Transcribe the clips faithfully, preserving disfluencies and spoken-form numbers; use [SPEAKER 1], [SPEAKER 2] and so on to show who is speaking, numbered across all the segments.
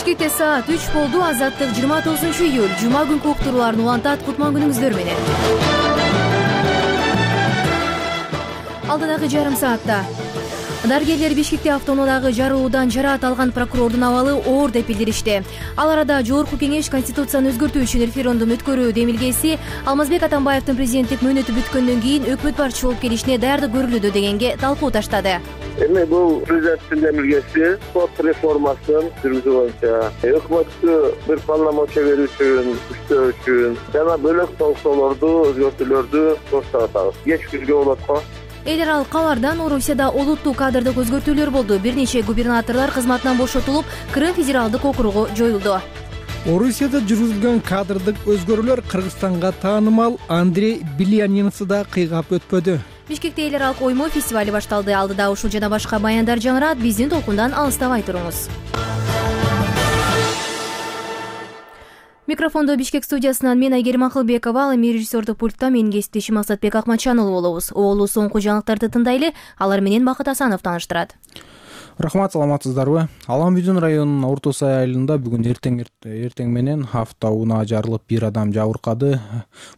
[SPEAKER 1] Бишкекте саат үч болду. Азаттык жыйырма тогузунчу июль жума күнкү уктурууларын улантат. Кутман күнүңүздөр менен. Алдыдагы жарым саатта дарыгерлер Бишкекте автоунаадагы жарылуудан жараат алган прокурордун абалы оор деп билдиришти. Ал арада Жогорку кеңеш Конституцияны өзгөртүү үчүн референдум өткөрүү демилгеси Алмазбек Атамбаевдин президенттик мөөнөтү бүткөндөн кийин өкмөт башчы болуп келишине даярдык көрүлүүдө дегенге талкуу таштады.
[SPEAKER 2] Эми бул президенттин демилгеси сот реформасын жүргүзүү боюнча өкмөткө бир полномочия берүү үчүн, күчтөө үчүн жана бөлөк толуктоолорду, өзгөртүүлөрдү коштоп атабыз. Кеч күзгө болот го.
[SPEAKER 1] Эл аралык кабардан Орусияда олуттуу кадрдык өзгөртүүлөр болду. Бир нече губернаторлор кызматынан бошотулуп, Крым федералдык округу жоюлду.
[SPEAKER 3] Орусияда жүргүзүлгөн кадрдык өзгөрүүлөр Кыргызстанга таанымал Андрей Беляниновду да кыйгап өтпөдү.
[SPEAKER 1] Бишкекте эл аралык оймо фестивали башталды. Алдыда ушул жана башка баяндар жаңырат. Биздин толкундан алыстабай туруңуз. Микрофондо Бишкек студиясынан мен Айгерим Акылбекова, ал эми режиссердук пультта менин кесиптешим Асатбек Акматжанұлы болобуз. Оолу соңку жаңылыктарды тындайлы, алар менен Бакыт Асанов тааныштырат.
[SPEAKER 3] Рахмат, саламатсыздарбы? Аламбүйдүн районунун Орто Сай айылында бүгүн эртең эртең менен автоунаа жарылып бир адам жабыркады.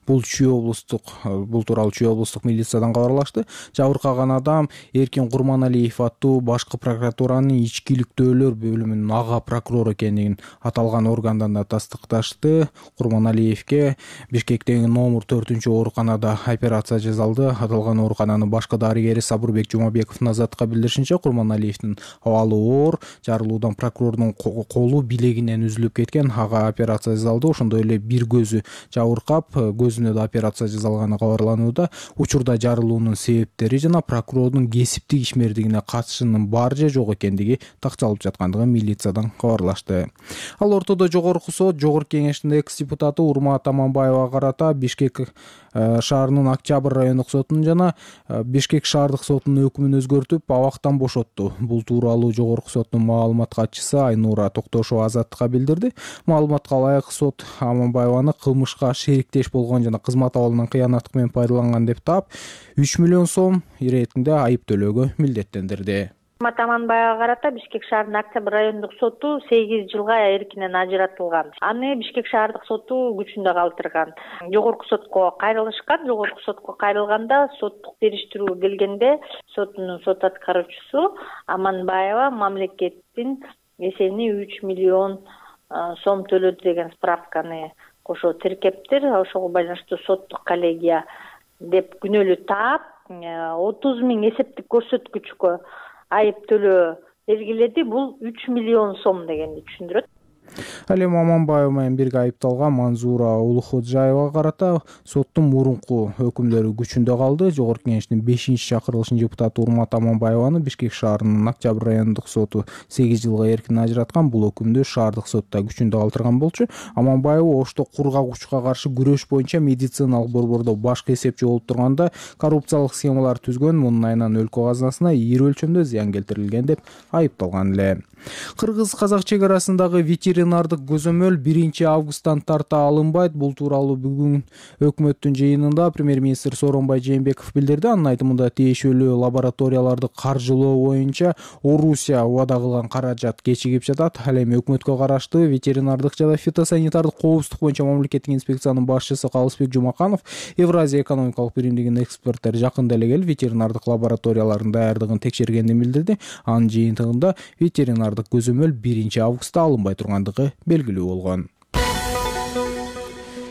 [SPEAKER 3] Бул Чүй облустук бул тууралуу Чүй облустук милициядан кабарлашты. Жабыркаган адам Эркин Курманалиев аттуу башкы прокуратуранын ички иликтөөлөр бөлүмүнүн ага прокурору экендигин аталган органдан да тастыкташты. Курманалиевке Бишкектеги номер төртүнчү ооруканада операция жасалды. Аталган оорукананын башкы дарыгери Сабырбек Жумабековдун азаттыкка билдиришинче, Курманалиевдин абалы оор, жарылуудан прокурордун колу билегинен үзүлүп кеткен. Ага операция жасалды. Ошондой эле бир көзү жабыркап, көзүнө да операция жасалганы кабарланууда. Учурда жарылуунун себептери жана прокурордун кесиптик ишмердигине катышынын бар же жок экендиги такчалып жаткандыгын милициядан кабарлашты. Ал ортодо Жогорку сот Жогорку кеңештин экс депутаты Урмат Аманбаевага карата Бишкек шаарынын Октябрь райондук сотунун жана Бишкек шаардык сотунун өкүмүн өзгөртүп, абактан бошотту. Бул тууралуу Жогорку соттун маалымат катчысы Айнура Токтошова азаттыкка билдирди. Маалыматка ылайык сот Аманбаеваны кылмышка шериктеш болгон жана кызмат абалынан кыянаттык менен пайдаланган деп таап, үч миллион сом иретинде айып төлөөгө милдеттендирди.
[SPEAKER 4] Урмат Аманбаевага карата Бишкек шаарынын Октябрь райондук соту сегиз жылга эркинен ажыратылган. Аны Бишкек шаардык соту күчүндө калтырган. Жогорку сотко кайрылышкан. Жогорку сотко кайрылганда соттук териштирүү келгенде соттун сот аткаруучусу Аманбаева мамлекеттин эсебине үч миллион сом төлөдү деген справканы кошо тиркептир. Ошого байланыштуу соттук коллегия деп күнөөлүү таап, отуз миң эсептик көрсөткүчкө айып төлөө белгиледи. Бул үч миллион сом дегенди түшүндүрөт.
[SPEAKER 3] Ал эми Аманбаев менен бирге айыпталган Манзура Улуходжаевага карата соттун мурунку өкүмдөрү күчүндө калды. Жогорку кеңештин бешинчи чакырылышынын депутаты Урмат Аманбаеваны Бишкек шаарынын Октябрь райондук соту сегиз жылга эркинен ажыраткан. Бул өкүмдү шаардык сотта күчүндө калтырган болчу. Аманбаев Ошто кургагучка каршы күрөш боюнча медициналык борбордо башкы эсепчи болуп турганда коррупциялык схемалар түзгөн, мунун айынан өлкө казынасына ийри өлчөмдө зыян келтирилген деп айыпталган эле. Кыргыз-казак чек арасындагы ветеринардык көзөмөл биринчи августтан тарта алынбайт. Бул тууралуу бүгүн өкмөттүн жыйынында премьер-министр Сооронбай Жээнбеков билдирди. Анын айтымында тиешелүү лабораторияларды каржылоо боюнча Орусия убада кылган каражат кечигип жатат. Ал эми өкмөткө караштуу ветеринардык жана фитосанитардык коопсуздук боюнча мамлекеттик инспекциянын башчысы Калысбек Жумаканов Евразия экономикалык биримдигинин эксперттери жакында эле келип ветеринардык лабораториялардын даярдыгын текшергенин билдирди. Анын жыйынтыгында ветеринардык көзөмөл биринчи августта алынбай тургандыгы белгилүү болгон.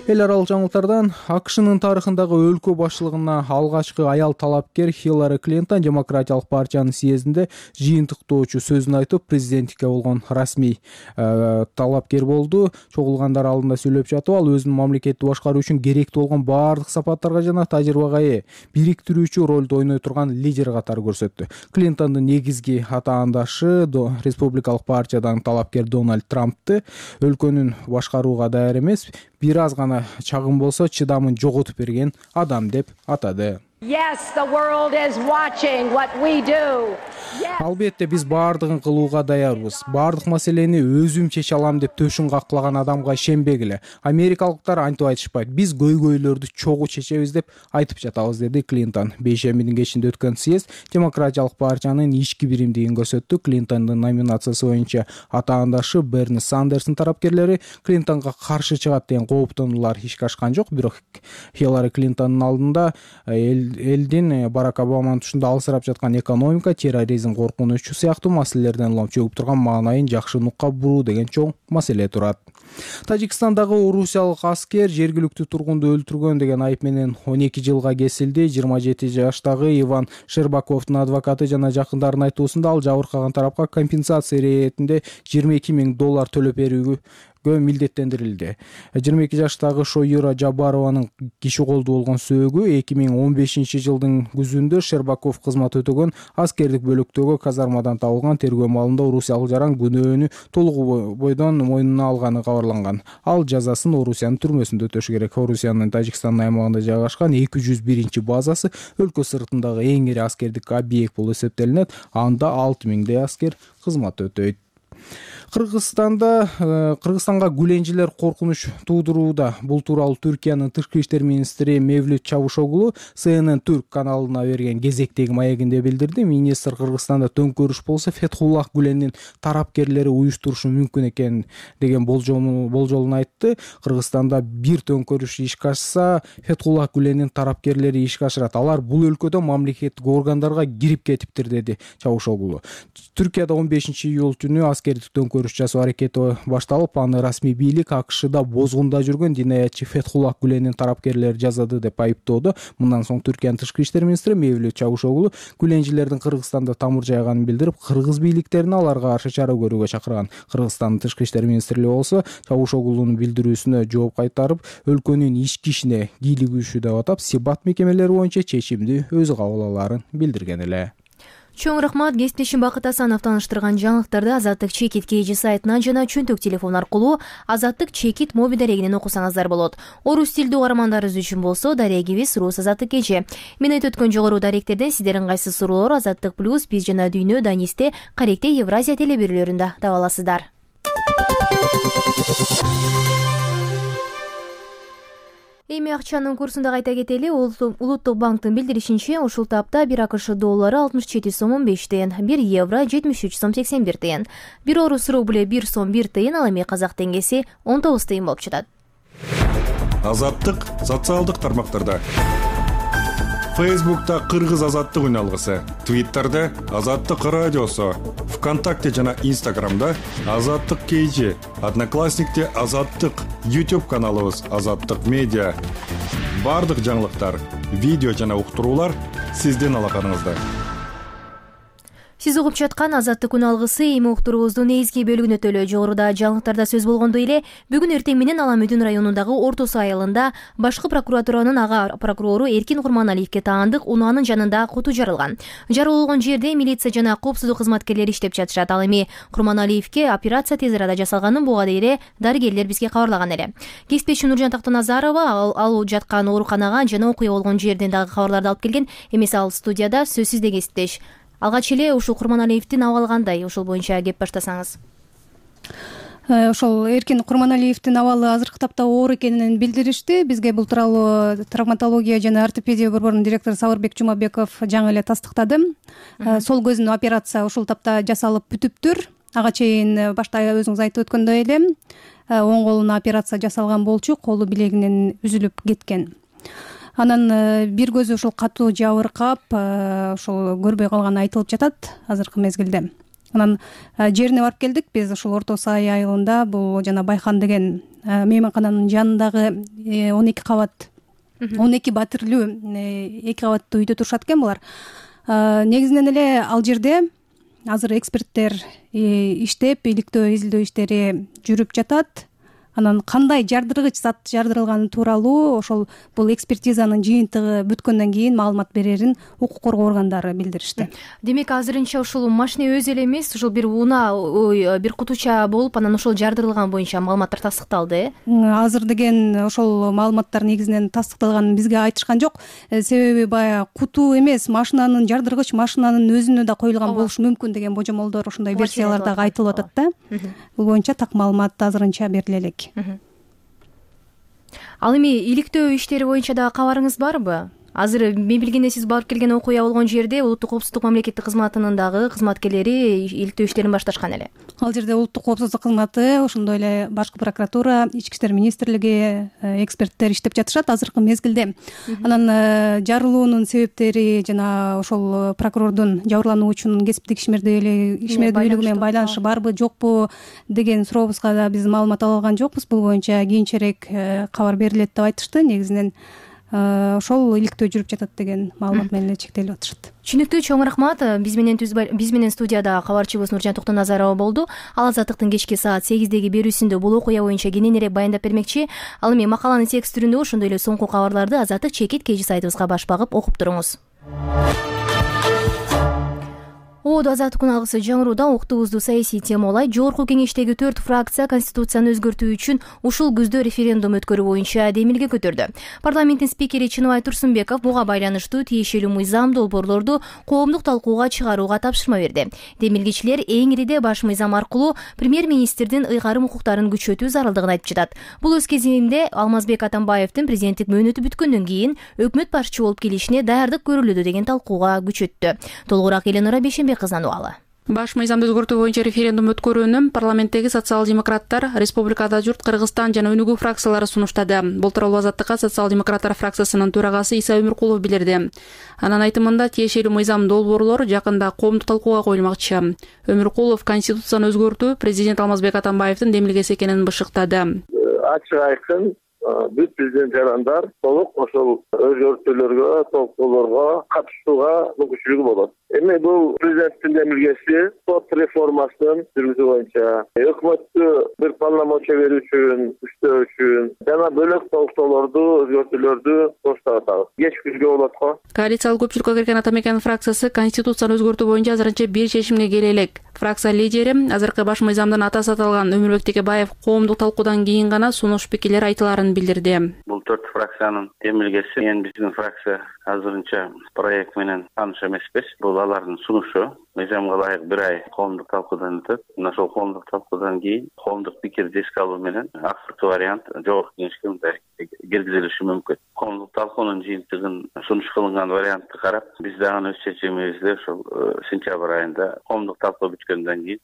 [SPEAKER 3] Эл аралык жаңылыктардан АКШнын тарыхындагы өлкө башчылыгына алгачкы аял талапкер Хиллари Клинтон Демократиялык партиянын съездинде жыйынтыктоочу сөзүн айтып, президенттикке болгон расмий э, талапкер болду. Чогулгандар алдында сүйлөп жатып, ал өзүнүн мамлекетти башкаруу үчүн керектүү болгон баардык сапаттарга жана тажрыйбага ээ, бириктирүүчү ролду ойной турган лидер катары көрсөттү. Клинтондун негизги атаандашы республикалык партиядан талапкер Дональд Трампты өлкөнүн башкарууга даяр эмес, бир аз гана чагым болсо чыдамын жоготуп берген адам деп атады.
[SPEAKER 5] Yes, the world is watching what we do.
[SPEAKER 3] Албетте биз баардыгын кылууга даярбыз. Баардык маселени өзүм чече алам деп төшүн каклаган адамга ишенбегиле. Америкалыктар антип айтышпайт. Биз көйгөйлөрдү чогуу чечебиз деп айтып жатабыз, деди Клинтон. Бейшембинин кечинде өткөн съезд Демократиялык партиянын ички биримдигин көрсөттү. Клинтондун номинациясы боюнча атаандашы Берни Сандерстин тарапкерлери Клинтонго каршы чыгат деген кооптонуулар ишке ашкан жок. Бирок Хиллари Клинтондун алдында элдин Барак Обаманын тушунда алысырап жаткан экономика, терроризм, коркунучу сыяктуу маселелерден улам чөгүп турган маанайын жакшы нукка буруу деген чоң маселе турат. Тажикстандагы орусиялык аскер жергиликтүү тургунду өлтүргөн деген айып менен он эки жылга кесилди. жыйырма жети жаштагы Иван Шербаковдун адвокаты жана жакындарынын айтуусунда ал жабыркаган тарапка компенсация иретинде жыйырма эки миң доллар төлөп берүүгө милдеттендирилди. жыйырма эки жаштагы Шоюра Жабарованын киши колдуу болгон сөөгү эки миң он бешинчи жылдын күзүндө Шербаков кызмат өтөгөн аскердик бөлүктөгү казармадан табылган тергөө маалында орусиялык жаран күнөөнү толугу бойдон мойнуна алганы кабарланган. Ал жазасын Орусиянын түрмөсүндө өтөшү керек. Орусиянын Тажикстандын аймагында жайгашкан эки жүз биринчи базасы өлкө сыртындагы эң ири аскердик объект болуп эсептелинет. Анда алты миңдей аскер кызмат өтөйт. Кыргызстанда Кыргызстанга гүленжилер коркунуч туудурууда. Бул тууралуу Түркиянын тышкы иштер министри Мевлют Чавушоглу С Н Н Түрк каналына берген кезектеги маегинде билдирди. Министр Кыргызстанда төңкөрүш болсо Фетхуллах Гүленин тарапкерлери уюштурушу мүмкүн экен деген болжолун айтты. Кыргызстанда бир төңкөрүш ишке ашса, Фетхуллах Гүленин тарапкерлери ишке ашырат. Алар бул өлкөдө мамлекеттик органдарга кирип кетиптир, деди Чавушоглу. Түркияда он бешинчи июль күнү аскердик төңкөрүш жасоо аракети башталып, аны расмий бийлик АКШда бозгунда жүргөн динаятчы Фетхуллах Гүленин тарапкерлери жазады деп айыптоодо. Мындан соң Түркиянын тышкы иштер министри Мевлют Чавушоглу гүленжилердин Кыргызстанда тамыр жайганын билдирип, кыргыз бийликтерин аларга каршы чара көрүүгө чакырган. Кыргызстандын тышкы иштер министрлиги болсо Чавушоглунун билдирүүсүнө жооп кайтарып, өлкөнүн ички ишине кийлигүүшү деп атап, сибат мекемелери боюнча чечимди өзү кабыл алаарын билдирген эле.
[SPEAKER 1] Чоң рахмат. Кесиптешим Бакыт Асанов тааныштырган жаңылыктарды Азаттык Чекит Кж сайтынан жана чөнтөк телефон аркылуу Азаттык Чекит мобил дарегинен окусаңыздар болот. Орус тилдүү угармандарыбыз үчүн болсо дарегибиз Рус Азаттык Кж. Мен айтып өткөн жогору даректерден сиздердин кайсы суроолор Азаттык плюс биз жана дүйнө Данисте Каректе Евразия телебирүүлөрүндө таба аласыздар. Эми акчанын курсун да кайта кетели. Улуттук банктын билдиришинче, ушул тапта бир АКШ доллары алтымыш жети сом он беш тыйын, бир евро жетимиш үч сом сексен бир тыйын, бир орус рубле бир сом бир тыйын, ал эми казак теңгеси он тогуз тыйын болуп жатат.
[SPEAKER 6] Азаттык социалдык тармактарда. Фейсбукта Кыргыз азаттык үналгысы, Твиттерде Азаттык радиосу, ВКонтакте жана Инстаграмда Азаттык Кж, Одноклассникте Азаттык, YouTube каналыбыз Азаттык медиа. Бардык жаңылыктар, видео жана уктуруулар сиздин алаканыңызда.
[SPEAKER 1] Сиз угуп жаткан Азаттык күн алгысы эми уктуруубуздун негизги бөлүгүнө төлөө. Жогоруда жаңылыктарда сөз болгондой эле, бүгүн эртең менен Ала Мүдүн районундагы Орто Суу айылында башкы прокуратуранын ага прокурору Эркин Курманалиевке таандык унаанын жанында куту жарылган. Жарылган жерде милиция жана коопсуздук кызматкерлери иштеп жатышат. Ал эми Курманалиевке операция тез арада жасалганын буга дейре дарыгерлер бизге кабарлаган эле. Кесиптешим Нуржан Тактаназарова ал жаткан ооруканага жана окуя болгон жерден дагы кабарларды алып келген. Эмес ал студияда сөзсүз де кесиптеш. Алгач эле ушул Курманалиевдин абалы кандай? Ушул боюнча кеп баштасаңыз.
[SPEAKER 7] Ошол Эркин Курманалиевдин абалы азыркы тапта оор экенин билдиришти. Бизге бул тууралуу травматология жана ортопедия борборунун директору Сабырбек Жумабеков жаңы эле тастыктады. Сол көзүнө операция ушул тапта жасалып бүтүптүр. Ага чейин башта өзүңүз айтып өткөндөй эле оң колуна операция жасалган болчу, колу билегинен үзүлүп кеткен. Анан бир көзү ушул катуу жабыркап, ушул көрбөй калганы айтылып жатат азыркы мезгилде. Анан жерине барып келдик биз ушул Орто Суу айылында. Бул жана Байхан деген мейманкананын жанындагы он эки кабат, он эки батирлүү эки кабаттуу үйдө турушат экен булар. Негизинен эле ал жерде азыр эксперттер иштеп, иликтөө изилдөө иштери жүрүп жатат. анан кандай жардыргыч зат жардырылганы тууралуу ошол бул экспертизанын жыйынтыгы бүткөндөн кийин маалымат берерин укук коргоо органдары билдиришти.
[SPEAKER 1] Демек азырынча ушул машина өзү эле эмес, ушул бир унаа, бир кутуча болуп, анан ошол жардырылган боюнча маалыматтар тастыкталды, э?
[SPEAKER 7] Азыр деген ошол маалыматтар негизинен тастыкталганын бизге айтышкан жок. Себеби баягы куту эмес, машинанын жардыргыч машинанын өзүнө да коюлган болушу мүмкүн деген божомолдор, ошондой версиялар дагы айтылып атат да. Бул боюнча так маалымат азырынча бериле элек.
[SPEAKER 1] Ал эми иликтөө иштери боюнча дагы кабарыңыз барбы? Азыр мен билгенде сиз барып келген окуя болгон жерде улуттук коопсуздук мамлекеттик кызматынын дагы кызматкерлери иликтөө иштерин башташкан эле.
[SPEAKER 7] Ал жерде улуттук коопсуздук кызматы, ошондой эле башкы прокуратура, ички иштер министрлиги, эксперттер иштеп жатышат азыркы мезгилде. Анан жарылуунун себептери жана ошол прокурордун жабырлануучунун кесиптик ишмердүүлүгү менен байланышы барбы, жокпу деген сурообузга да биз маалымат ала алган жокпуз. Бул боюнча кийинчерээк кабар берилет деп айтышты. Негизинен ошол иликтөө жүрүп жатат деген маалымат менен эле чектелип атышат.
[SPEAKER 1] Түшүнүктүү, чоң рахмат. Биз менен биз менен студияда кабарчыбыз Нуржан Токтоназарова болду. Ал Азаттыктын кечки саат сегиздеги берүүсүндө бул окуя боюнча кененирээк баяндап бермекчи. Ал эми макаланын текст түрүндө ошондой эле соңку кабарларды Азаттык чекит кей жи сайтыбызга баш багып окуп туруңуз. Оодо Азаттыктын алгысы жаңыруудан уктубузду саясий тема улайт. Жогорку кеңештеги төрт фракция Конституцияны өзгөртүү үчүн ушул күздө референдум өткөрүү боюнча демилге көтөрдү. Парламенттин спикери Чыныбай Турсунбеков буга байланыштуу тиешелүү мыйзам долбоорлорду коомдук талкууга чыгарууга тапшырма берди. Демилгечилер эң ириде баш мыйзам аркылуу премьер-министрдин ыйгарым укуктарын күчөтүү зарылдыгын айтып жатат. Бул өз кезинде Алмазбек Атамбаевдин президенттик мөөнөтү бүткөндөн кийин өкмөт башчы болуп келишине даярдык көрүлүүдө деген талкууга күчөттү. Толугураак Эленора Бейшенбек кызынын убалы.
[SPEAKER 8] Баш мыйзамды өзгөртүү боюнча референдум өткөрүүнү парламенттеги социал-демократтар, республикада журт, Кыргызстан жана Өнүгүү фракциялары сунуштады. Бул тууралуу Азаттыкка социал-демократтар фракциясынын төрагасы Иса Өмүркулов билдирди. Анын айтымында тиешелүү мыйзам долбоорлор жакында коомдук талкууга коюлмакчы. Өмүркулов Конституцияны өзгөртүү президент Алмазбек Атамбаевдин демилгеси экенин бышыктады.
[SPEAKER 2] Ачык айкын бүт президент жарандар толук ошол өзгөртүүлөргө, толуктоолорго катышууга мүмкүнчүлүгү болот. Эми бул президенттин демилгеси сот реформасынын жүргүзүү боюнча өкмөткө бир полномочия берүү үчүн, күчтөө үчүн жана бөлөк толуктоолорду, өзгөртүүлөрдү коштатабыз. Кеч күзгө болот го.
[SPEAKER 8] Коалициялык көпчүлүккө кирген Ата Мекен фракциясы Конституцияны өзгөртүү боюнча азырынча бир чечимге келе элек. Фракция лидери азыркы баш мыйзамдын атасы аталган Өмүрбек Текебаев коомдук талкуудан кийин гана сунуш пикирлер айтыларын билдирди.
[SPEAKER 9] Бул төрт фракциянын демилгеси, эми биздин фракция азырынча проект менен тааныш эмеспиз. Бул алардын сунушу. Мыйзамга ылайык бир ай коомдук талкуудан өтөт. Мына ошол коомдук талкуудан кийин коомдук пикирди эске алуу менен акыркы вариант жогорку кеңешке мындай киргизилиши мүмкүн. Коомдук талкуунун жыйынтыгын сунуш кылынган вариантты карап, биз дагы өз чечимибизди ошол сентябрь айында коомдук талкуу бүткөндөн кийин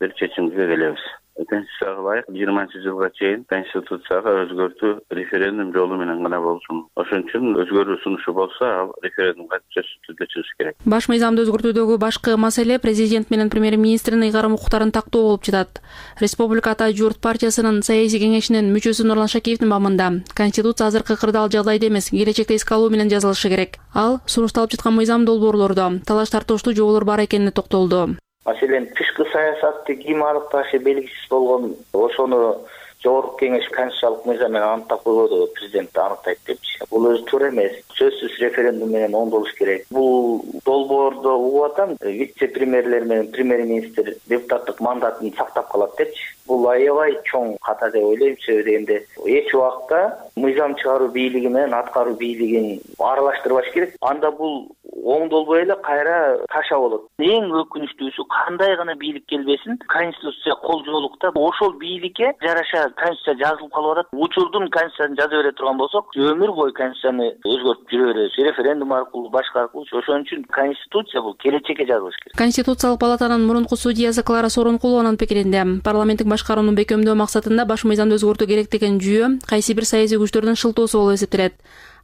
[SPEAKER 9] бир чечимге келебиз. Конституцияга ылайык жыйырманчы жылга чейин Конституцияга өзгөртүү референдум жолу менен гана болсун. Ошон үчүн өзгөрүү сунушу болсо, ал референдумга сөзсүз түрдө чыгыш керек.
[SPEAKER 8] Баш мыйзамды өзгөртүүдөгү башкы маселе президент менен премьер-министрдин ыйгарым укуктарын тактоо болуп жатат. Республика Ата журт партиясынын саясий кеңешинин мүчөсү Нурлан Шакиевдин бамында Конституция азыркы кырдаал жагдайда эмес, келечекте эске алуу менен жазылышы керек. Ал сунушталып жаткан мыйзам долбоорлордо талаш тартыштуу жоболор бар экенине токтолду.
[SPEAKER 10] Маселен, тышкы саясатты ким аныкташы белгисиз болгон, ошону жогорку кеңеш конституциялык мыйзам менен аныктап койбоду, президент аныктайт депчи. Бул өзү туура эмес. Сөзсүз референдум менен оңдолуш керек. Бул долбоордо угуп атам, вице-премьерлер менен премьер-министр депутаттык мандатын сактап калат депчи. Бул аябай чоң ката деп ойлойм. Себеби дегенде эч убакта мыйзам чыгаруу бийлиги менен аткаруу бийлигин аралаштырбаш керек. Анда бул оңдолбой эле кайра таша болот. Эң өкүнүчтүүсү, кандай гана бийлик келбесин, конституция кол жоолукта ошол бийликке жараша конституция жазылып калып атат. Учурдун конституциясын жаза бере турган болсок, өмүр бою конституцияны өзгөртүп жүрө беребиз. Референдум аркылуу, башка аркылуу. Ошон үчүн конституция бул келечекке жазылыш керек.
[SPEAKER 8] Конституциялык палатанын мурунку судьясы Клара Сооронкулованын пикиринде, парламенттик башкарууну бекемдөө максатында баш мыйзамды өзгөртүү керек деген жүйө кайсы бир саясий күчтөрдүн шылтоосу болуп эсептелет.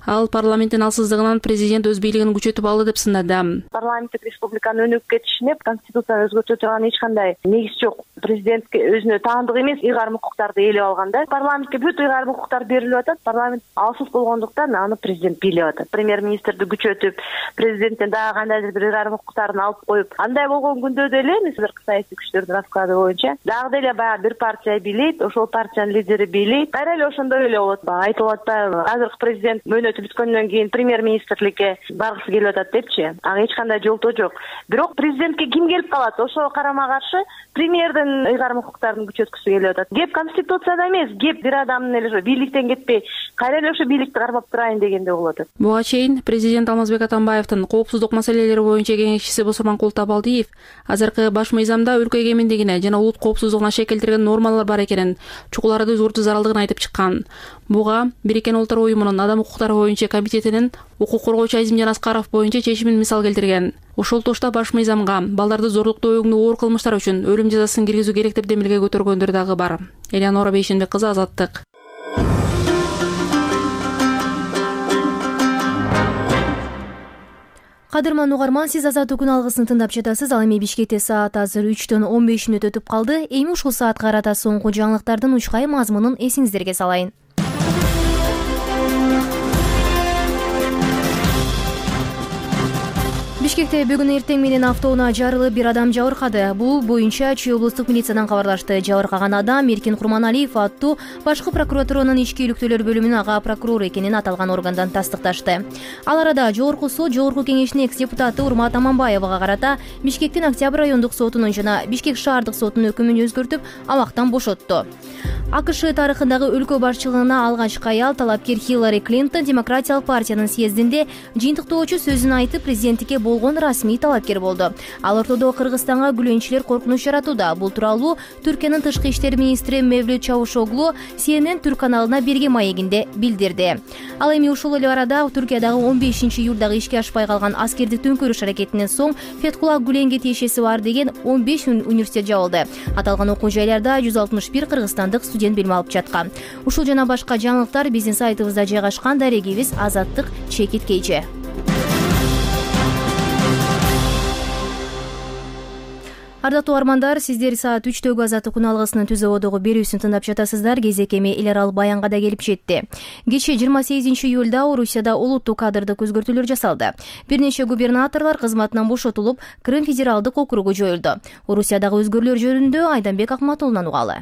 [SPEAKER 8] Ал парламенттин алсыздыгынан президент өз бийлигин күчөтүп алды деп сындады.
[SPEAKER 4] Парламенттик республиканын өнүгүп кетишине конституцияны өзгөртө турган эч кандай негиз жок. Президентке өзүнө таандык эмес ыйгарым укуктарды ээлеп алганда, парламентке бүт ыйгарым укуктар берилип атат. Парламент алсыз болгондуктан аны президент бийлеп атат. Премьер-министрди күчөтүп, президенттен дагы кандайдыр бир ыйгарым укуктарын алып коюп, андай болгон күндө деле мисалыркы саясий күчтөрдүн расклады боюнча дагы деле баягы бир партия бийлейт, ошол партиянын лидери бийлейт. Кайра эле ошондой эле болот. Баягы айтылып атпайбы, азыркы президент мөөнөтү бүткөндөн кийин премьер-министрликке баргысы келип атат депчи. Ага эч кандай жолтоо жок. Бирок президентке ким келип калат? Ошого карама каршы премьердин ыйгарым укуктарын күчөткүсү келип атат. Кеп конституцияда эмес, кеп бир адамдын эле ошо бийликтен кетпей, кайра эле ошо бийликти кармап турайын дегенде болуп атат.
[SPEAKER 8] Буга чейин президент Алмазбек Атамбаевдин коопсуздук маселелери боюнча кеңешчиси Босурманкул Табалдиев азыркы баш мыйзамда өлкө эгемендигине жана улут коопсуздугуна шек келтирген нормалар бар экенин, чукуларды өзгөртүү зарылдыгын айтып чыккан. Буга Бириккен Улуттар уюмунун Адам укуктары боюнча комитетинин укук коргоочу Азимжан Аскаров боюнча чечимин мисал келтирген. Ошол тошто баш мыйзамга балдарды зорлуктоо өңдүү оор кылмыштар үчүн өлүм жазасын киргизүү керек деп демилге көтөргөндөр дагы бар. Элеонора Бейшенбек кызы, Азаттык.
[SPEAKER 1] Кадырман угарман, сиз Азаттык күн алгысын тыңдап жатасыз. Ал эми Бишкекте саат азыр үчтөн он беш мүнөт өтүп калды. Эми ушул саатка карата соңку жаңылыктардын учкай мазмунун эсиңиздерге салайын. Бишкекте бүгүн эртең менен автоунаа жарылып бир адам жабыркады. Бул боюнча Чүй облустук милициядан кабарлашты. Жабыркаган адам Эркин Курманалиев аттуу башкы прокуратуранын ички иликтөөлөр бөлүмүнүн ага прокурору экенин аталган органдан тастыкташты. Ал арада Жогорку сот Жогорку кеңешинин экс-депутаты Урмат Аманбаевага карата Бишкектин Октябрь райондук сотунун жана Бишкек шаардык сотунун өкүмүн өзгөртүп, абактан бошотту. АКШ тарыхындагы өлкө башчылыгына алгачкы аял талапкер Хиллари Клинтон Демократиялык партиянын съездинде жыйынтыктоочу сөзүн айтып, президенттикке болгон расмий талапкер болду. Ал ортодо Кыргызстанга күлөнчүлөр коркунуч жаратууда. Бул тууралуу Түркиянын тышкы иштер министри Мевлют Чавушоглу Си Эн Эн Түрк каналына берген маегинде билдирди. Ал эми ушул эле арада Түркиядагы он бешинчи июлдагы ишке ашпай калган аскердик төңкөрүш аракетинен соң Феткулла Гүленге тиешеси бар деген он беш университет жабылды. Аталган окуу жайларда жүз алтымыш бир кыргызстандык студент билим алып жаткан. Ушул жана башка жаңылыктар биздин сайтыбызда жайгашкан. Дарегибиз Азаттык чекит кейже. Ардактуу армандар, сиздер саат үчтөгү Азаттык күн алгысынын түз абадагы берүүсүн тыңдап жатасыздар. Кезекеми эл аралык баянга да келип жетти. Кечээ жыйырма сегизинчи июлда Орусияда улуттук кадрдык өзгөртүүлөр жасалды. Бир нече губернаторлор кызматынан бошотулуп, Крым федералдык округу жоюлду. Орусиядагы өзгөрүүлөр жөнүндө Айданбек Акматулунан угалы.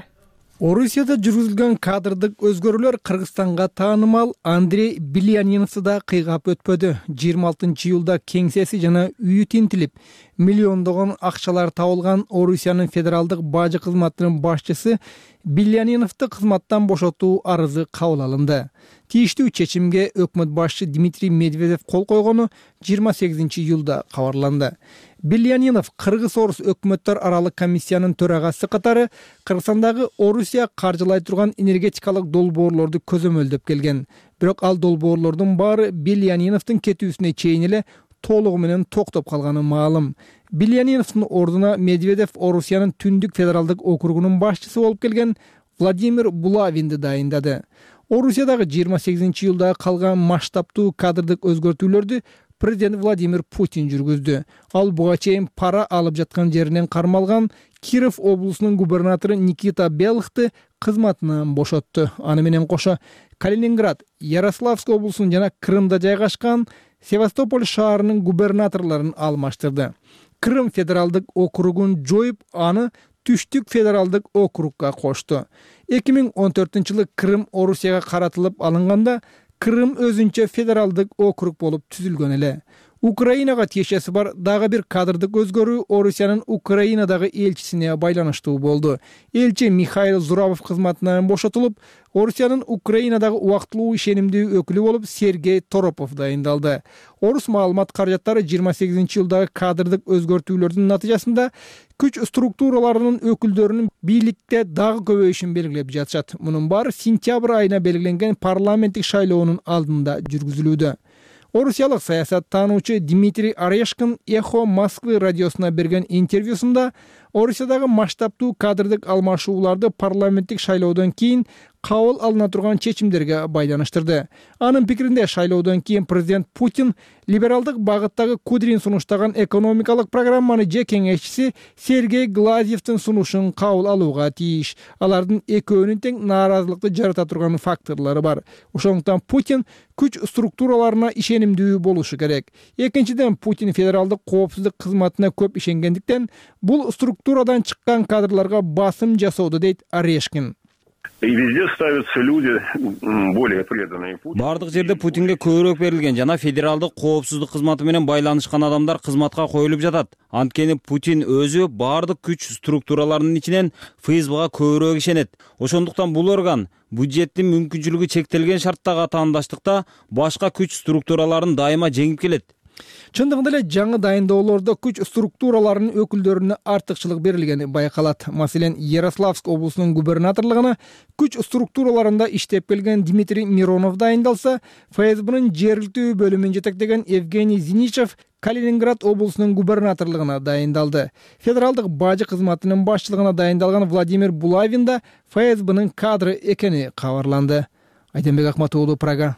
[SPEAKER 3] Орусияда жүргүзүлгөн кадрдык өзгөрүүлөр Кыргызстанга таанымал Андрей Биляниновду да кыйгап өтпөдү. жыйырма алтынчы июлда кеңсеси жана үйү тинтилип, миллиондогон акчалар табылган Орусиянын федералдык бажы кызматынын башчысы Биляниновду кызматтан бошотуу арызы кабыл алынды. Тийиштүү чечимге өкмөт башчы Дмитрий Медведев кол койгону жыйырма сегизинчи июлда кабарланды. Билянинов Кыргыз-Орус өкмөттөр аралык комиссиянын төрагасы катары Кыргызстандагы Орусия каржылай турган энергетикалык долбоорлорду көзөмөлдөп келген. Бирок ал долбоорлордун баары Биляниновдун кетүүсүнө чейин эле толугу менен токтоп калганы маалым. Биляниновдун ордуна Медведев Орусиянын Түндүк федералдык округунун башчысы болуп келген Владимир Булавинди дайындады. Орусиядагы жыйырма сегизинчи июлда калган масштабтуу кадрдык өзгөртүүлөрдү президент Владимир Путин жүргүздү. Ал буга чейин пара алып жаткан жеринен кармалган Киров облусунун губернатору Никита Белыхты кызматынан бошотту. Аны менен кошо Калининград, Ярославск облусунун жана Крымда жайгашкан Севастополь шаарынын губернаторлорун алмаштырды. Крым федералдык округун жоюп, аны Түштүк федералдык округга кошту. эки миң он төртүнчү жылы Крым Орусияга каратылып алынганда Крым өзүнчө федералдык округ болуп түзүлгөн эле. Украинага тиешеси бар дагы бир кадрдык өзгөрүү Орусиянын Украинадагы элчисине байланыштуу болду. Элчи Михаил Зурабов кызматынан бошотулуп, Орусиянын Украинадагы убактылуу ишенимдүү өкүлү болуп Сергей Торопов дайындалды. Орус маалымат каражаттары жыйырма сегизинчи жылдагы кадрдык өзгөртүүлөрдүн натыйжасында күч структураларынын өкүлдөрүнүн бийликте дагы көбөйүшүн белгилеп жатышат. Мунун баары сентябрь айына белгиленген парламенттик шайлоонун алдында жүргүзүлүүдө. Орусиялык саясаттануучу Дмитрий Орешкин Эхо Москвы радиосуна берген интервьюсунда Орусиядагы масштабдуу кадрдык алмашууларды парламенттик шайлоодон кийин кабыл алына турган чечимдерге байланыштырды. Анын пикиринде шайлоодон кийин президент Путин либералдык багыттагы Кудрин сунуштаган экономикалык программаны же кеңешчиси Сергей Глазьевдин сунушун кабыл алууга тийиш. Алардын экөөнүн тең нааразылыкты жарата турган факторлору бар. Ошондуктан Путин күч структураларына ишенимдүү болушу керек. Экинчиден, Путин федералдык коопсуздук кызматына көп ишенгендиктен бул структурадан чыккан кадрларга басым жасоодо, дейт Орешкин.
[SPEAKER 11] И везде ставятся люди более преданные Путину.
[SPEAKER 12] Бардык жерде Путинге көбүрөөк берилген жана федералдык коопсуздук кызматы менен байланышкан адамдар кызматка коюлуп жатат. Анткени Путин өзү бардык күч структураларынын ичинен ФСБга көбүрөөк ишенет. Ошондуктан бул орган бюджеттин мүмкүнчүлүгү чектелген шарттагы атаандаштыкта башка күч структураларын дайыма жеңип келет.
[SPEAKER 3] Чындыгында эле жаңы дайындоолордо күч структураларынын өкүлдөрүнө артыкчылык берилгени байкалат. Маселен, Ярославск облусунун губернаторлугуна күч структураларында иштеп келген Дмитрий Миронов дайындалса, ФСБнын жергиликтүү бөлүмүн жетектеген Евгений Зиничев Калининград облусунун губернаторлугуна дайындалды. Федералдык бажы кызматынын башчылыгына дайындалган Владимир Булавин да ФСБнын кадры экени кабарланды. Айденбек Акматоğlu, Прага.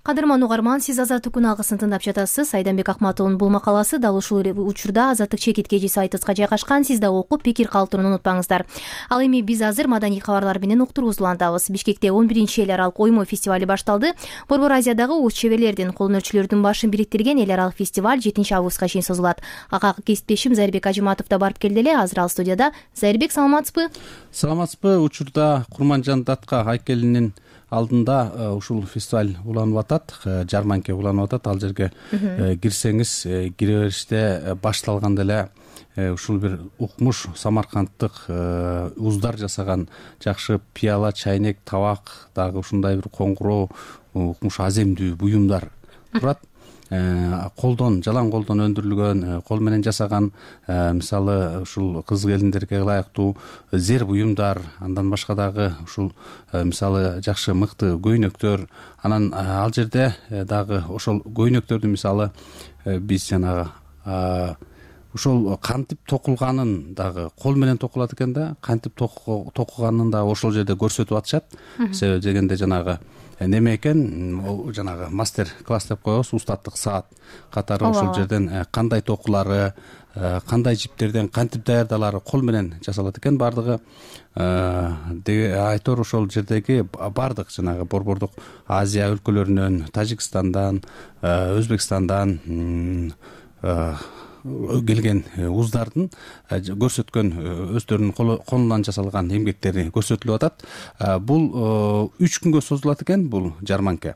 [SPEAKER 1] Кадырман угарман, сиз Азаттык күн алгысын тыңдап жатасыз. Айданбек Акматовдун бул макаласы дал ушул учурда Азаттык чекиткечи сайтыбызга жайгашкан. Сиз да окуп, пикир калтырууну унутпаңыздар. Ал эми биз азыр маданий кабарлар менен уктуруубузду улантабыз. Бишкекте он биринчи эл аралык оймо фестивали башталды. Борбор Азиядагы уз чеберлердин, кол өнөрчүлөрдүн башын бириктирген эл аралык фестиваль жетинчи августка чейин созулат. Ага кесиптешим Зайырбек Ажыматов да барып келди эле. Азыр ал студияда. Зайырбек, саламатсызбы?
[SPEAKER 13] Саламатсызбы? Учурда Курманжан Датка айкелинин алдында ушул фестиваль уланып атат, жарманке уланып атат. Ал жерге кирсеңиз, кире бериште башталганда эле ушул бир укмуш самаркандтык уздар жасаган жакшы пияла, чайнек, табак, дагы ушундай бир коңгуроо, укмуш аземдүү буюмдар турат. Колдон, жалаң колдон өндүрүлгөн, кол менен жасаган, мисалы ушул кыз келиндерге ылайыктуу зер буюмдар, андан башка дагы ушул мисалы жакшы мыкты көйнөктөр. Анан ал жерде дагы ошол көйнөктөрдү мисалы биз жанагы ошол кантип токулганын дагы кол менен токулат экен да, кантип токуганын дагы ошол жерде көрсөтүп атышат. Себеби дегенде жанагы неме экен, жанагы мастер класс деп коебуз, устаттык саат катары ошол жерден кандай токулары, кандай жиптерден кантип даярдалары кол менен жасалат экен. Бардыгы айтор ошол жердеги бардык жанагы борбордук Азия өлкөлөрүнөн, Тажикстандан, Өзбекстандан келген уздардын көрсөткөн өздөрүнүн колунан жасалган эмгектери көрсөтүлүп атат. Бул үч күнгө созулат экен бул жарманка.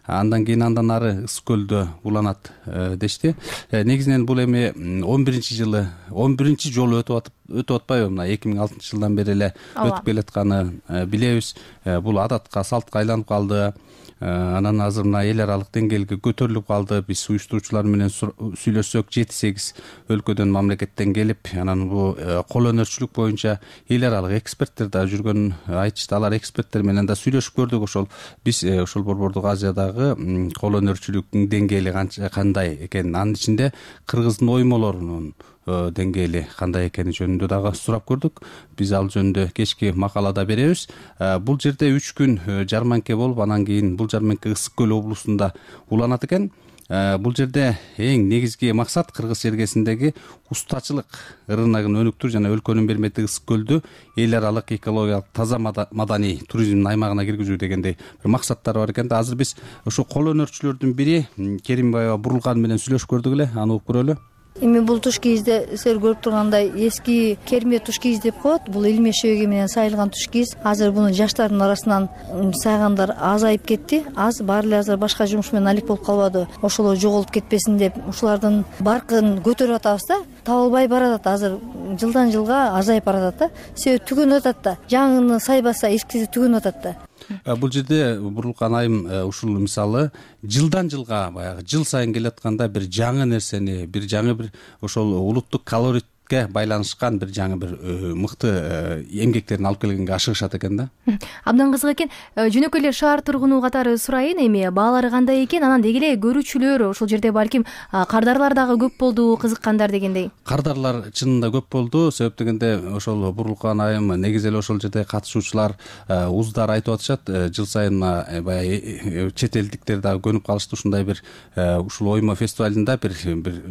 [SPEAKER 13] Андан кийин андан ары Ысык көлдө уланат дешти. Негизинен бул эми он биринчи жылы, он биринчи жолу өтүп атып, өтүп атпайбы? Мына эки миң алтынчы жылдан бери эле өтүп келатканы билебиз. Бул адатка, салтка айланып калды. Анан азыр мына эл аралык деңгээлге көтөрүлүп калды. Биз уюштуруучулар менен сүйлөшсөк, жети сегиз өлкөдөн, мамлекеттен келип, анан бул кол өнөрчүлүк боюнча эл аралык эксперттер да жүргөнүн айтышты. Алар эксперттер менен да сүйлөшүп көрдүк. Ошол биз ошол борбордук Азиядагы кол өнөрчүлүктүн деңгээли кандай экенин, анын ичинде кыргыздын оймолорунун деңгээли кандай экени жөнүндө дагы сурап көрдүк. Биз ал жөнүндө кечки макалада беребиз. Бул жерде үч күн жарманке болуп, анан кийин бул жарманке Ысык көл облусунда уланат экен. Бул жерде эң негизги максат Кыргыз чергесиндеги устачылык рыногун өнүктүрүү жана өлкөнүн бермети Ысык көлдү эл аралык экологиялык таза маданий туризмдин аймагына киргизүү дегендей бир максаттар бар экен. Азыр биз ошо кол өнөрчүлөрдүн бири Керимбаева Бурулган менен сүйлөшүп көрдүк эле. Аны угуп көрөлү.
[SPEAKER 14] Эми бул туш кийизде силер көрүп тургандай эски керме туш кийиз деп коет. Бул илме шөйгө менен сайылган туш кийиз. Азыр буну жаштардын арасынан сайгандар азайып кетти. Аз баары эле азыр башка жумуш менен алек болуп калбады. Ошолор жоголуп кетпесин деп ушулардын баркын көтөрүп атабыз да. Табылбай баратат, азыр жылдан жылга азайып баратат да. Себеби түгөнүп атат да. Жаңыны сайбаса эскиси түгөнүп атат да.
[SPEAKER 13] Бул жерде Бурулган айым ушул мисалы жылдан жылга баягы жыл сайын келатканда бир жаңы нерсени, бир жаңы бир ошол улуттук колорит байланышкан бир жаңы бир мыкты эмгектерин алып келгенге ашыгышат экен да.
[SPEAKER 1] Абдан кызык экен. Жөнөкөй эле шаар тургуну катары сурайын, эми баалары кандай экен, анан деги эле көрүүчүлөр ошол жерде балким кардарлар дагы көп болду, кызыккандар дегендей.
[SPEAKER 13] Кардарлар чынында көп болду, себеп дегенде ошол Бурурлукан айым негизи эле ошол жерде катышуучулар уздар айтып атышат, жыл сайын баягы чет элдиктер дагы көнүп калышты ушундай бир ушул оймо фестивалында бир бир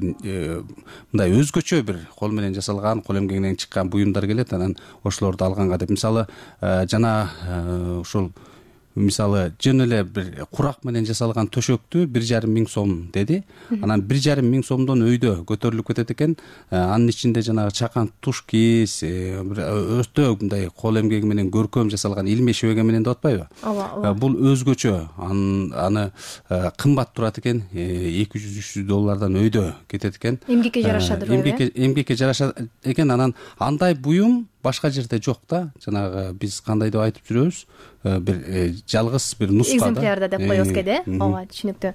[SPEAKER 13] мындай өзгөчө бир кол менен жасалган, кол эмгегинен чыккан буюмдар келет, анан ошолорду алганга деп. Мисалы жана ушул мисалы жөн эле бир курак менен жасалган төшөктү бир жарым миң сом деди. Анан бир жарым миң сомдон өйдө көтөрүлүп кетет экен. Анын ичинде жанагы чакан туш кийиз, өтө мындай кол эмгеги менен көркөм жасалган илме шебеге менен деп атпайбы? Ооба. Бул өзгөчө. Аны кымбат турат экен. эки жүз үч жүз доллардан өйдө кетет экен.
[SPEAKER 1] Эмгекке жарашат,
[SPEAKER 13] эмгекке эмгекке жарашат экен. Анан андай буюм башка жерде жок да. Жанагы биз кандай деп айтып жүрөбүз? Бир жалгыз бир нуска да.
[SPEAKER 1] Экземплярда деп коебуз кеде. Ооба, түшүнүктүү.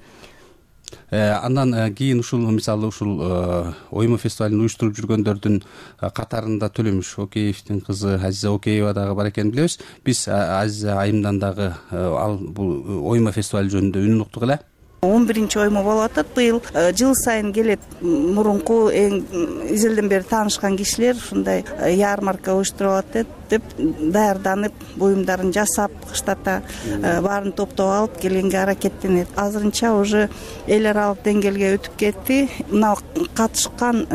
[SPEAKER 13] Андан кийин ушул мисалы ушул оймо фестивалын уюштуруп жүргөндөрдүн катарында Төлөмүш Океевдин кызы Азиза Океева дагы бар экенин билебиз. Биз Азиза айымдан дагы ал бул оймо фестивали жөнүндө үнүн уктук эле.
[SPEAKER 15] он биринчи оймо болуп атат быйыл. Жыл сайын келет мурунку эң изелден бери таанышкан кишилер ушундай ярмарка уюштуруп атат деп даярданып, буюмдарын жасап, кыштата баарын топтоп алып келгенге аракеттенет. Азырынча уже эл аралык деңгээлге өтүп кетти. Мына катышкан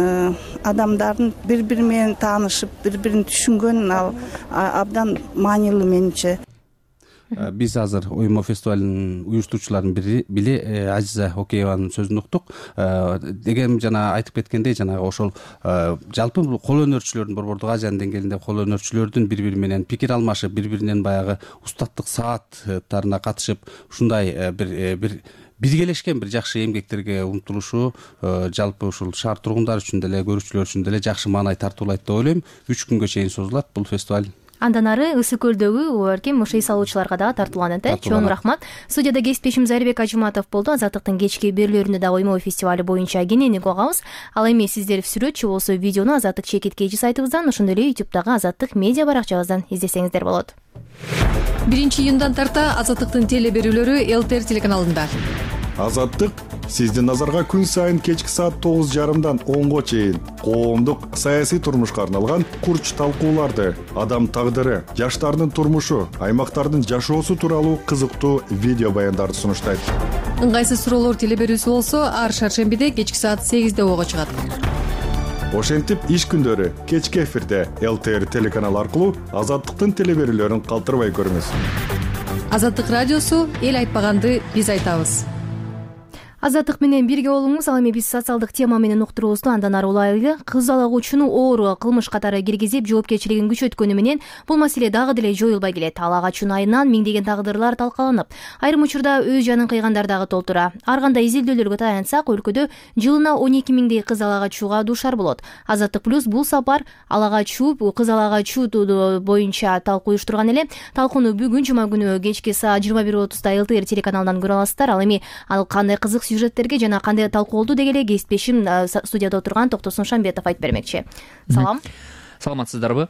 [SPEAKER 15] адамдардын бири-бири менен таанышып, бири-бирин түшүнгөн ал абдан маанилүү менимче.
[SPEAKER 13] Биз азыр оймо фестивалынын уюштуруучуларынын бири бири Азиза Окееванын сөзүн уктук. Деген жана айтып кеткендей, жанагы ошол жалпы бул кол өнөрчүлөрдүн Борбордук Азиянын деңгээлинде кол өнөрчүлөрдүн бири-бири менен пикир алмашып, бири-биринен баягы устаттык сааттарына катышып, ушундай бир бир биргелешкен бир жакшы эмгектерге умтулушу жалпы ушул шаар тургундары үчүн деле, көрүүчүлөр үчүн деле жакшы маанай тартуулайт деп ойлойм. үч күнгө чейин созулат бул фестиваль.
[SPEAKER 1] Андан ары Ысык көлдөгү балким ошо иш салуучуларга дагы тартууланат э. Чоң рахмат. Студияда кесиптешим Зарибек Ажыматов болду. Азаттыктын кечки берүүлөрүндө да оймо фестивали боюнча кененирээк угабыз. Ал эми сиздер сүрөтчү болсо видеону Азаттык чекит кейжи сайтыбыздан, ошондой эле ютубтагы Азаттык медиа баракчабыздан издесеңиздер болот.
[SPEAKER 16] биринчи июндан тарта Азаттыктын теле берүүлөрү ЛТР телеканалында.
[SPEAKER 6] Азаттык сиздин назарга күн сайын кечки саат тогуз жарымдан онго чейин коомдук саясий турмушка арналган курч талкууларды, адам тагдыры, жаштардын турмушу, аймактардын жашоосу тууралуу кызыктуу видео баяндарды сунуштайт.
[SPEAKER 16] Ыңгайсыз суроолор теле берүүсү болсо ар шаршембиде кечки саат сегизде ого чыгат.
[SPEAKER 6] Ошентип иш күндөрү кечки эфирде ЛТР телеканалы аркылуу Азаттыктын теле берүүлөрүн калтырбай көрүңүз.
[SPEAKER 16] Азаттык радиосу эл айтпаганды биз айтабыз.
[SPEAKER 1] Азаттык менен бирге болуңуз. Ал эми биз социалдык тема менен уктуруубузду андан ары улайлы. Кыз алагучуну оор кылмыш катары киргизип, жоопкерчилигин күчөткөнү менен бул маселе дагы деле жоюлбай келет. Алагачуун айынан миңдеген тагдырлар талкаланып, айрым учурда өз жанын кыйгандар дагы толтура. Ар кандай изилдөөлөргө таянсак, өлкөдө жылына он эки миңдей кыз алагачууга дуушар болот. Азаттык плюс бул сапар алагачуу, кыз алагачуу боюнча талкуу уюштурган эле. Талкууну бүгүн жума күнү кечки саат жыйырма бир отузда ЛТР телеканалынан көрө аласыздар. Ал эми ал кандай кызык сюжеттерге жана кандай талкуу болду деги эле кесиптешим студияда отурган Токтосун Шамбетов айтып бермекчи. Салам.
[SPEAKER 17] Саламатсыздарбы?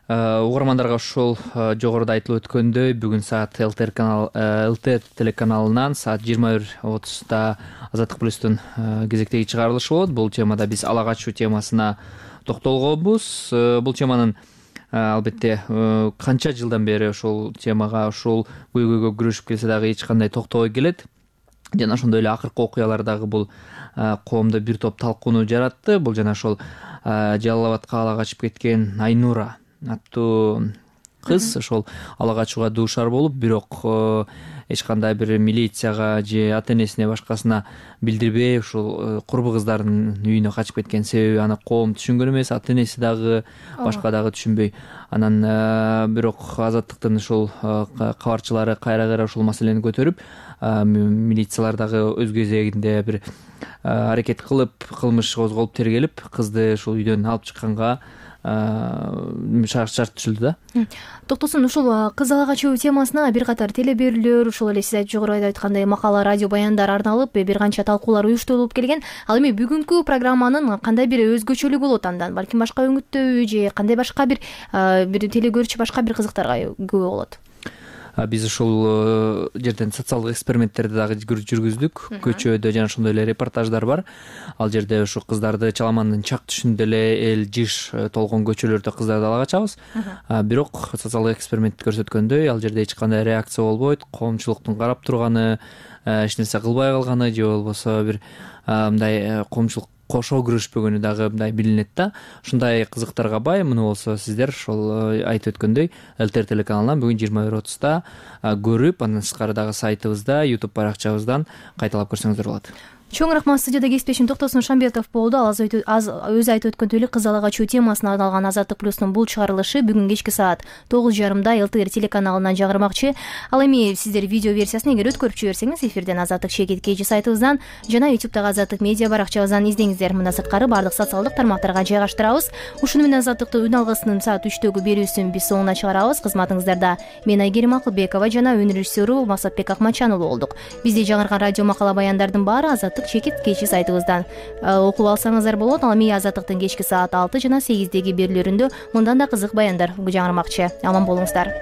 [SPEAKER 17] Угармандарга ушул жогоруда айтылып өткөндөй, бүгүн саат ЛТР канал ЛТ телеканалынан саат жыйырма бир отузда Азаттык плюстун кезектеги чыгарылышы болот. Бул темада биз алагачуу темасына токтолгонбуз. Бул теманын албетте канча жылдан бери ушул темага, ушул көйгөйгө күрөшүп келсе дагы эч кандай токтобой келет. Жана ошондой эле акыркы окуялар дагы бул коомдо бир топ талкууну жаратты. Бул жана ошол Жалал Абадка ала качып кеткен Айнура аттуу кыз ошол ала качууга дуушар болуп, бирок эч кандай бир милицияга же ата энесине башкасына билдирбей ушул курбу кыздардын үйүнө качып кеткен. Себеби аны коом түшүнгөн эмес, ата энеси дагы башка дагы түшүнбөй. Анан бирок Азаттыктын ушул кабарчылары кайра кайра ушул маселени көтөрүп, милициялар дагы өз кезегинде бир аракет кылып, кылмыш козголуп, тергелип, кызды ушул үйдөн алып чыкканга шарт түзүлдү да.
[SPEAKER 1] Токтосун, ушул кыз ала качуу темасына бир катар телеберүүлөр, ошол эле сиз жогоруда айткандай макала, радио баяндар арналып, бир канча талкуулар уюштурулуп келген. Ал эми бүгүнкү программанын кандай бир өзгөчөлүгү болот андан? Балким башка өңүттөбү же кандай башка бир бир телегөрүүчү башка бир кызыктарга күбө болот?
[SPEAKER 17] Биз ушул жерден социалдык эксперименттерди дагы жүргүздүк. Көчөдө жана ошондой эле репортаждар бар. Ал жерде ушу кыздарды Чаламандын чак түшүндө эле эл жыш толгон көчөлөрдө кыздарды ала качабыз. Бирок социалдык эксперимент көрсөткөндөй, ал жерде эч кандай реакция болбойт. Коомчулуктун карап турганы, эч нерсе кылбай калганы же болбосо бир мындай коомчулук кошо күрөшпөгөнү дагы мындай билинет да. Ушундай кызыктарга бай. Муну болсо сиздер ошол айтып өткөндөй эл тэ эр телеканалынан бүгүн жыйырма бир отузда көрүп, андан тышкары дагы сайтыбызда, YouTube баракчабыздан кайталап көрсөңүздөр болот.
[SPEAKER 1] Чоң рахмат. Студияда кесиптешим Токтосун Шамбетов болду. Ал өзү айтып өткөндөй эле кыз ала качуу темасына арналган Азаттык плюстун бул чыгарылышы бүгүн кечки саат тогуз жарымда эл тэ эр телеканалынан жагырмакчы. Ал эми сиздер видео версиясын эгер өткөрүп жиберсеңиз, эфирден Азаттык Шегет Кежи сайтыбыздан жана YouTube'дагы Азаттык медиа баракчабыздан издеңиздер. Мындан сырткары баардык социалдык тармактарга жайгаштырабыз. Ушуну менен Азаттыктын үн алгысынын саат үчтөгү берүүсүн биз соңуна чыгарабыз. Кызматыңыздарда мен Айгерим Акылбекова жана өнөр режиссеру Максатбек Акматчан уулу болдук. Бизди жаңырган радио макала баяндардын баары Азаттык Шегет Кечи сайтыбыздан окуп алсаңыздар болот. Ал эми Азаттыктын кечки саат алты жана сегиздеги берүүлөрүндө мындан да кызык баяндар жаңырмакчы. Аман болуңуздар.